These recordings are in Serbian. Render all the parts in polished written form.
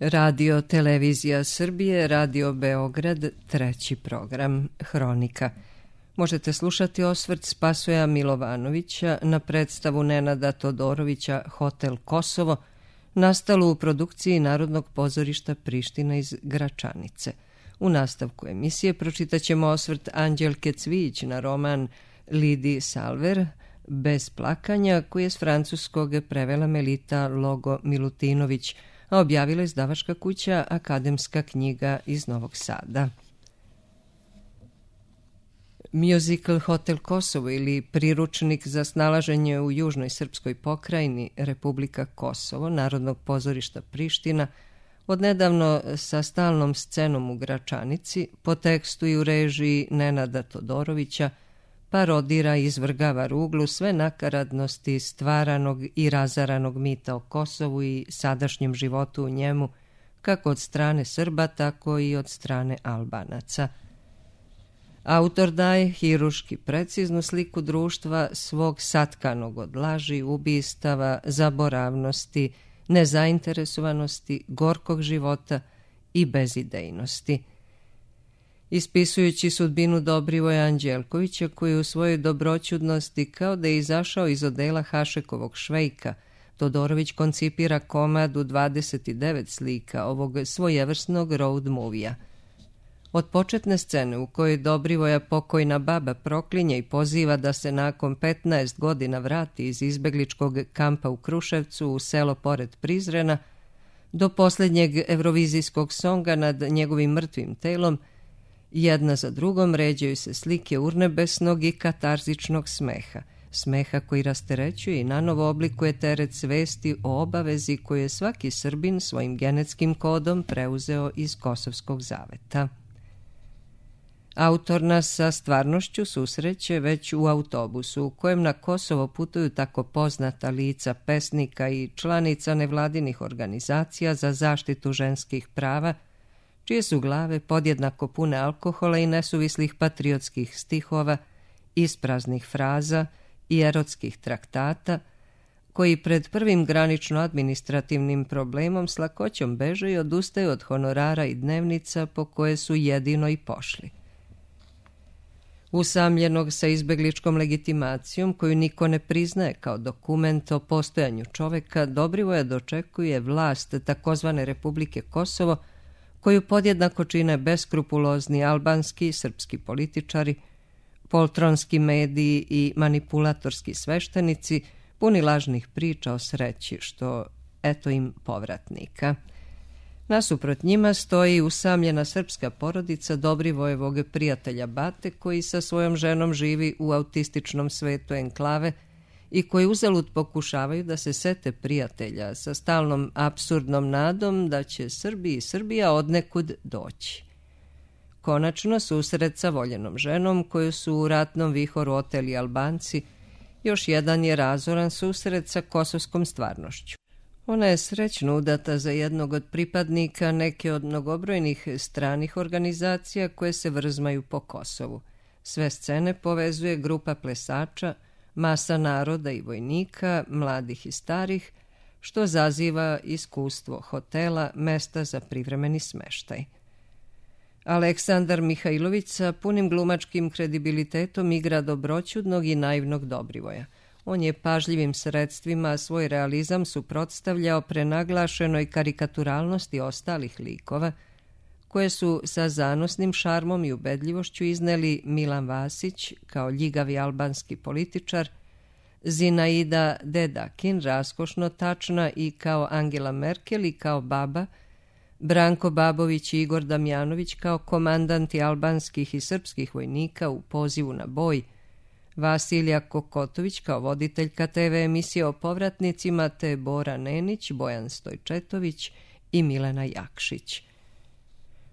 Radio Televizija Srbije, Radio Beograd, treći program, Hronika. Možete slušati osvrt Spasoja Milovanovića na predstavu Nenada Todorovića Hotel Kosovo, nastalu u produkciji Narodnog pozorišta Priština iz Gračanice. U nastavku emisije pročitat ćemo osvrt Anđelke Cvijić na roman Lidi Salver, Bez plakanja, koji je s francuskog prevela Melita Logo Milutinović, a objavila izdavačka kuća Akademska knjiga iz Novog Sada. Musical Hotel Kosovo ili priručnik za snalaženje u južnoj srpskoj pokrajini Republika Kosovo Narodnog pozorišta Priština, odnedavno sa stalnom scenom u Gračanici, po tekstu i u režiji Nenada Todorovića, parodira i izvrgava ruglu sve nakaradnosti stvaranog i razaranog mita o Kosovu i sadašnjem životu u njemu, kako od strane Srba, tako i od strane Albanaca. Autor daje hiruški preciznu sliku društva svog satkanog od laži, ubistava, zaboravnosti, nezainteresovanosti, gorkog života i bezidejnosti. Ispisujući sudbinu Dobrivoja Anđelkovića, koji u svojoj dobroćudnosti kao da je izašao iz odela Hašekovog Švejka, Todorović koncipira komad u 29 slika ovog svojevrsnog road movija. Od početne scene u kojoj Dobrivoja pokojna baba proklinje i poziva da se nakon 15 godina vrati iz izbegličkog kampa u Kruševcu u selo pored Prizrena, do posljednjeg evrovizijskog songa nad njegovim mrtvim telom, jedna za drugom ređaju se slike urnebesnog i katarzičnog smeha, smeha koji rasterećuje i nanovo oblikuje teret svesti o obavezi koju je svaki Srbin svojim genetskim kodom preuzeo iz Kosovskog zaveta. Autor nas sa stvarnošću susreće već u autobusu u kojem na Kosovo putuju tako poznata lica pesnika i članica nevladinih organizacija za zaštitu ženskih prava, čije su glave podjednako pune alkohola i nesuvislih patriotskih stihova, ispraznih fraza i erotskih traktata, koji pred prvim granično-administrativnim problemom s lakoćom beže i odustaju od honorara i dnevnica po koje su jedino i pošli. Usamljenog sa izbegličkom legitimacijom, koju niko ne priznaje kao dokument o postojanju čoveka, Dobrivoja dočekuje vlast takozvane Republike Kosovo, koju podjednako čine beskrupulozni albanski i srpski političari, poltronski mediji i manipulatorski sveštenici, puni lažnih priča o sreći, što eto im povratnika. Nasuprot njima stoji usamljena srpska porodica Dobrivojevog prijatelja Bate, koji sa svojom ženom živi u autističnom svetu enklave i koji uzalud pokušavaju da se sete prijatelja sa stalnom apsurdnom nadom da će Srbi i Srbija odnekud doći. Konačno, susret sa voljenom ženom koju su u ratnom vihoru oteli Albanci, još jedan je razoran susret sa kosovskom stvarnošću. Ona je srećno udata za jednog od pripadnika neke od mnogobrojnih stranih organizacija koje se vrzmaju po Kosovu. Sve scene povezuje grupa plesača, masa naroda i vojnika, mladih i starih, što zaziva iskustvo hotela, mesta za privremeni smeštaj. Aleksandar Mihajlović sa punim glumačkim kredibilitetom igra dobroćudnog i naivnog Dobrivoja. On je pažljivim sredstvima svoj realizam suprotstavljao prenaglašenoj karikaturalnosti ostalih likova, koje su sa zanosnim šarmom i ubedljivošću izneli Milan Vasić kao ljigavi albanski političar, Zinaida Dedakin raskošno tačna i kao Angela Merkel i kao baba, Branko Babović i Igor Damjanović kao komandanti albanskih i srpskih vojnika u pozivu na boj, Vasilija Kokotović kao voditeljka TV emisije o povratnicima, te Bora Nenić, Bojan Stojčetović i Milena Jakšić.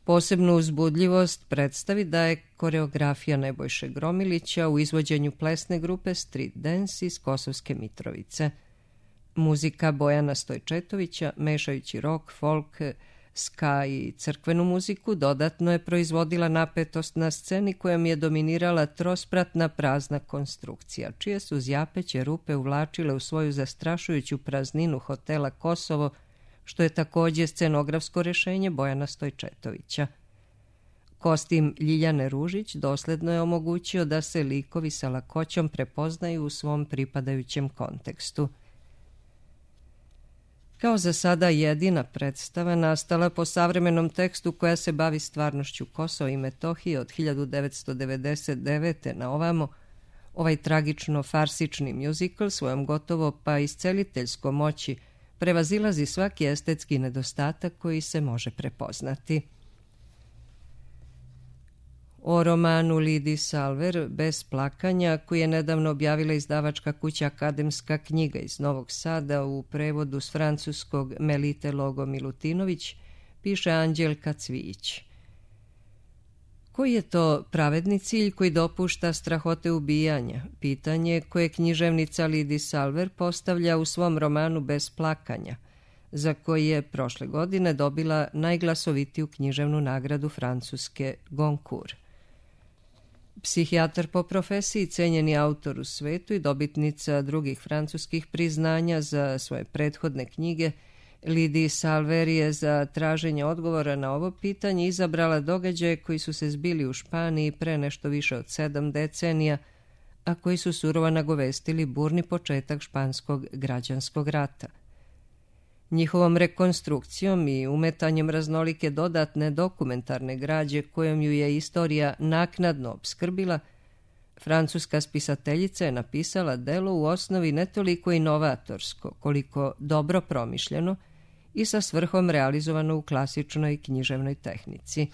Posebnu uzbudljivost predstavi daje koreografija Nebojše Gromilića u izvođenju plesne grupe Street Dance iz Kosovske Mitrovice. Muzika Bojana Stojčetovića, mešajući rock, folk, ska i crkvenu muziku, dodatno je proizvodila napetost na sceni kojom je dominirala trospratna prazna konstrukcija, čije su zjapeće rupe uvlačile u svoju zastrašujuću prazninu hotela Kosovo što je također scenografsko rješenje Bojana Stojčetovića. Kostim Ljiljane Ružić dosledno je omogućio da se likovi sa lakoćom prepoznaju u svom pripadajućem kontekstu. Kao za sada jedina predstava nastala po savremenom tekstu koja se bavi stvarnošću Kosova i Metohije od 1999. na ovamo, ovaj tragično-farsični mjuzikl svojom gotovo pa isceliteljskom moći prevazilazi svaki estetski nedostatak koji se može prepoznati. O romanu Lidiji Salver Bez plakanja, koji je nedavno objavila izdavačka kuća Akademska knjiga iz Novog Sada u prevodu s francuskog Melite Logo Milutinović, piše Anđelka Cvijić. Koji je to pravedni cilj koji dopušta strahote ubijanja? Pitanje koje književnica Lidija Salver postavlja u svom romanu Bez plakanja, za koji je prošle godine dobila najglasovitiju književnu nagradu Francuske Goncourt. Psihijatar po profesiji, cenjeni autor u svetu i dobitnica drugih francuskih priznanja za svoje prethodne knjige, Lidija Salver je za traženje odgovora na ovo pitanje izabrala događaje koji su se zbili u Španiji pre nešto više od 7 decenija, a koji su surovo nagovestili burni početak španskog građanskog rata. Njihovom rekonstrukcijom i umetanjem raznolike dodatne dokumentarne građe kojom ju je istorija naknadno opskrbila, francuska spisateljica je napisala delo u osnovi ne toliko inovatorsko, koliko dobro promišljeno i sa svrhom realizovano u klasičnoj književnoj tehnici.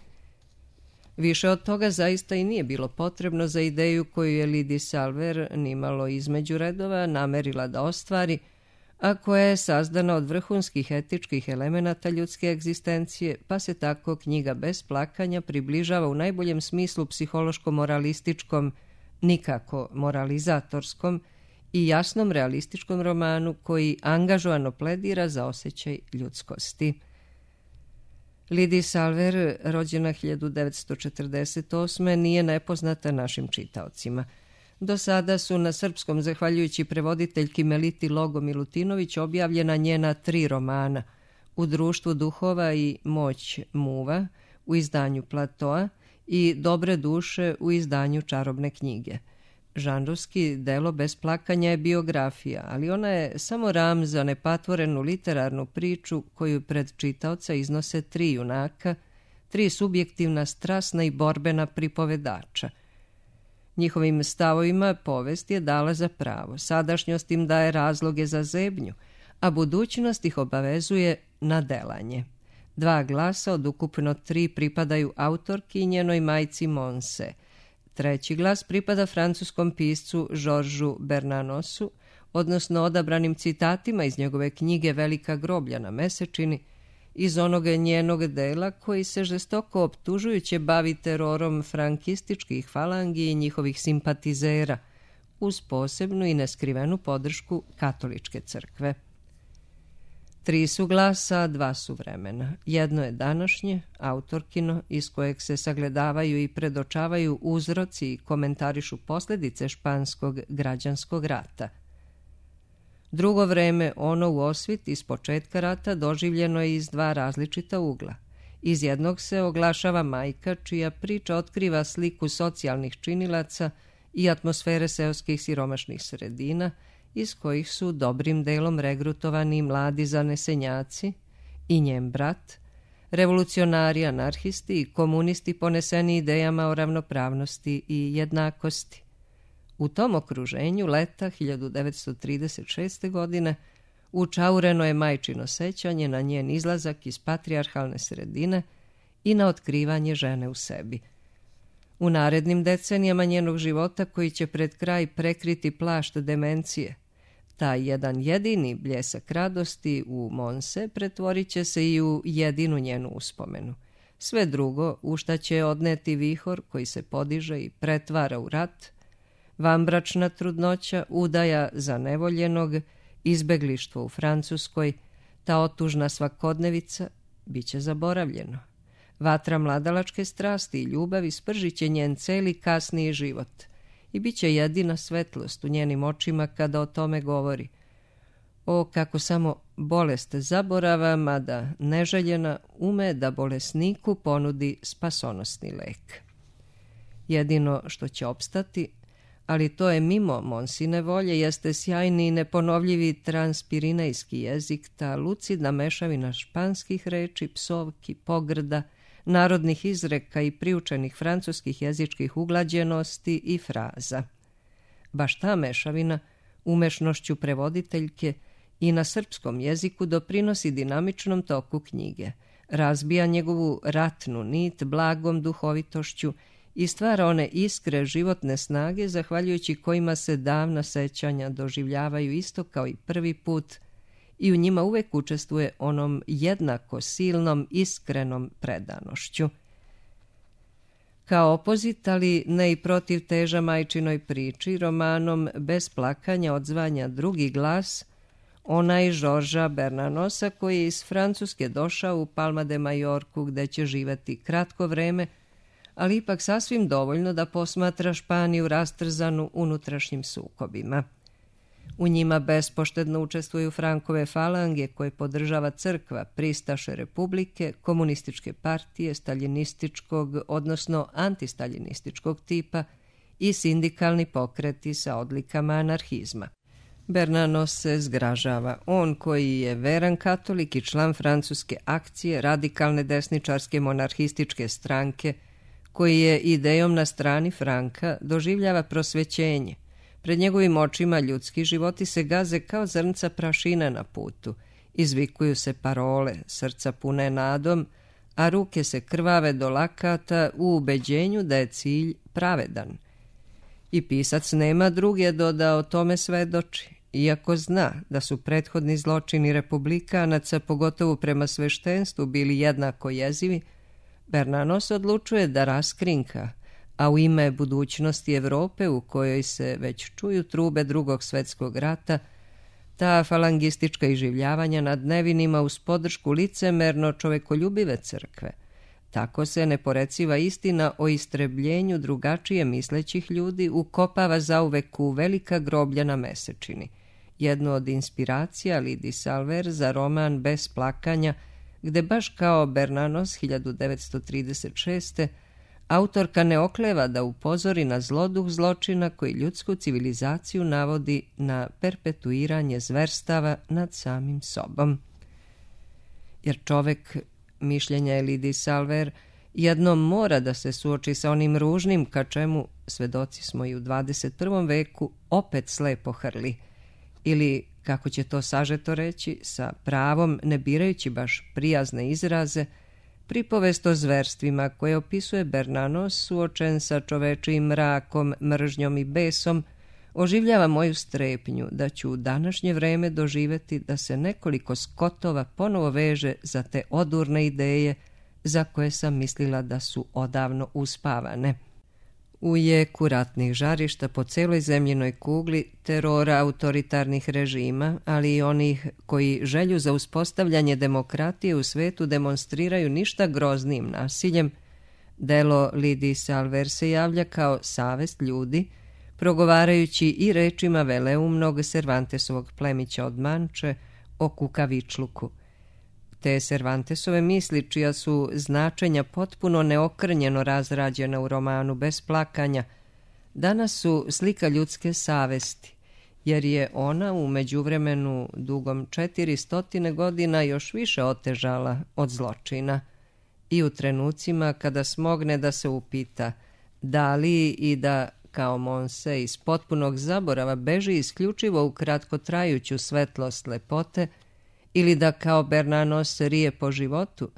Više od toga zaista i nije bilo potrebno za ideju koju je Lidija Salver nimalo između redova namerila da ostvari, a koja je sazdana od vrhunskih etičkih elemenata ljudske egzistencije, pa se tako knjiga Bez plakanja približava u najboljem smislu psihološko-moralističkom, nikako moralizatorskom i jasnom realističkom romanu koji angažovano pledira za osjećaj ljudskosti. Lidija Salver, rođena 1948. nije nepoznata našim čitaocima. Do sada su na srpskom, zahvaljujući prevoditeljki Meliti Logo Milutinović, objavljena njena 3 romana U društvu duhova i Moć muva u izdanju Platoa i Dobre duše u izdanju Čarobne knjige. Žanrovski delo Bez plakanja je biografija, ali ona je samo ram za nepatvorenu literarnu priču koju pred čitaoca iznose 3 junaka, 3 subjektivna, strasna i borbena pripovedača. Njihovim stavovima povest je dala za pravo, sadašnjost im daje razloge za zebnju, a budućnost ih obavezuje na delanje. 2 glasa od ukupno 3 pripadaju autorki i njenoj majci Monse. 3. glas pripada francuskom piscu Georgesu Bernanosu, odnosno odabranim citatima iz njegove knjige Velika groblja na mesečini, iz onog njenog dela koji se žestoko optužujuće bavi terorom frankističkih falangi i njihovih simpatizera, uz posebnu i neskrivenu podršku katoličke crkve. 3 su glasa, 2 su vremena. Jedno je današnje, autorkino, iz kojeg se sagledavaju i predočavaju uzroci i komentarišu posljedice španskog građanskog rata. Drugo vreme, ono u osvit iz početka rata, doživljeno je iz 2 različita ugla. Iz jednog se oglašava majka čija priča otkriva sliku socijalnih činilaca i atmosfere seoskih siromašnih sredina, iz kojih su dobrim delom regrutovani mladi zanesenjaci i njen brat, revolucionari, anarhisti i komunisti poneseni idejama o ravnopravnosti i jednakosti. U tom okruženju leta 1936. godine učaureno je majčino sećanje na njen izlazak iz patrijarhalne sredine i na otkrivanje žene u sebi. U narednim decenijama njenog života, koji će pred kraj prekriti plašt demencije, taj jedan jedini bljesak radosti u Monse pretvorit će se i u jedinu njenu uspomenu. Sve drugo, u šta će odneti vihor koji se podiže i pretvara u rat, vanbračna trudnoća, udaja zanevoljenog, izbeglištvo u Francuskoj, ta otužna svakodnevica, bit će zaboravljeno. Vatra mladalačke strasti i ljubavi spržit će njen celi kasniji život i bit će jedina svetlost u njenim očima kada o tome govori. O, kako samo bolest zaborava, mada neželjena, ume da bolesniku ponudi spasonosni lek. Jedino što će opstati, ali to je mimo Monsine volje, jeste sjajni i neponovljivi transpirinejski jezik, ta lucidna mešavina španskih reči, psovki, pogrda, narodnih izreka i priučenih francuskih jezičkih uglađenosti i fraza. Baš ta mešavina, umešnošću prevoditeljke, i na srpskom jeziku doprinosi dinamičnom toku knjige, razbija njegovu ratnu nit blagom duhovitošću i stvara one iskre životne snage zahvaljujući kojima se davna sećanja doživljavaju isto kao i prvi put i u njima uvek učestvuje onom jednako silnom iskrenom predanošću. Kao opozit, ali ne i protiv teža majčinoj priči, romanom Bez plakanja odzvanja drugi glas, onaj Žorža Bernanosa koji je iz Francuske došao u Palma de Majorku gde će živeti kratko vreme, ali ipak sasvim dovoljno da posmatra Španiju rastrzanu unutrašnjim sukobima. U njima bespoštedno učestvuju Frankove falange koje podržava crkva, pristaše republike, komunističke partije, staljinističkog, odnosno antistaljinističkog tipa i sindikalni pokreti sa odlikama anarhizma. Bernanos se zgražava. On koji je veran katolik i član francuske akcije, radikalne desničarske monarhističke stranke, koji je idejom na strani Franka, doživljava prosvećenje. Pred njegovim očima ljudski životi se gaze kao zrnca prašine na putu. Izvikuju se parole, srca pune nadom, a ruke se krvave do lakata u ubeđenju da je cilj pravedan. I pisac nema druge do da o tome svedoči. Iako zna da su prethodni zločini republikanaca, pogotovo prema sveštenstvu, bili jednako jezivi, Bernanos odlučuje da raskrinka, a u ime budućnosti Evrope u kojoj se već čuju trube Drugog svetskog rata, ta falangistička iživljavanja nad nevinima uz podršku licemerno čovekoljubive crkve. Tako se neporeciva istina o istrebljenju drugačije mislećih ljudi ukopava zauvek u velika groblja na mesečini. Jednu od inspiracija Lidi Salver za roman Bez plakanja, gde baš kao Bernanos 1936. autorka ne okleva da upozori na zloduh zločina koji ljudsku civilizaciju navodi na perpetuiranje zverstava nad samim sobom. Jer čovek, mišljenja je Lidi Salver, jednom mora da se suoči sa onim ružnim ka čemu, svedoci smo i u 21. veku, opet slepo hrli. Ili, kako će to sažeto reći, sa pravom, ne birajući baš prijazne izraze, pripovest o zverstvima koje opisuje Bernanos suočen sa čovečijim mrakom, mržnjom i besom, oživljava moju strepnju da ću u današnje vreme doživeti da se nekoliko skotova ponovo veže za te odurne ideje za koje sam mislila da su odavno uspavane. U jeku ratnih žarišta po celoj zemljinoj kugli, terora autoritarnih režima, ali i onih koji želju za uspostavljanje demokratije u svetu demonstriraju ništa groznim nasiljem, delo Lidi Salver se javlja kao savest ljudi, progovarajući i rečima veleumnog Cervantesovog plemića od Manče o kukavičluku. Te Cervantesove misli, čija su značenja potpuno neokrnjeno razrađena u romanu Bez plakanja, danas su slika ljudske savesti, jer je ona u međuvremenu dugom 400 godina još više otežala od zločina. I u trenucima kada smogne da se upita da li i da kao Monse iz potpunog zaborava beži isključivo u kratkotrajuću svetlost lepote, ili da kao Bernanos rije po životu,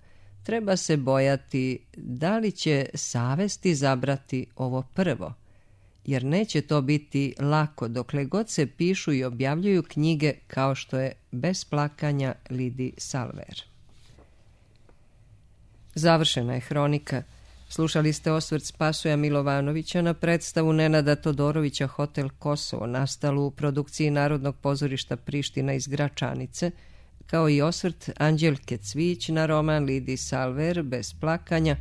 treba se bojati da li će savest izabrati ovo prvo, jer neće to biti lako dokle god se pišu i objavljuju knjige kao što je Bez plakanja Lidi Salver. Završena je hronika. Slušali ste osvrt Spasoja Milovanovića na predstavu Nenada Todorovića Hotel Kosovo, nastalu u produkciji Narodnog pozorišta Priština iz Gračanice, kao i osvrt Anđelke Cvić na roman Lidi Salver Bez plakanja,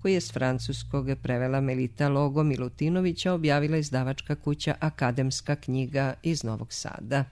koji je s francuskog prevela Melita Logo Milutinovića, objavila izdavačka kuća Akademska knjiga iz Novog Sada.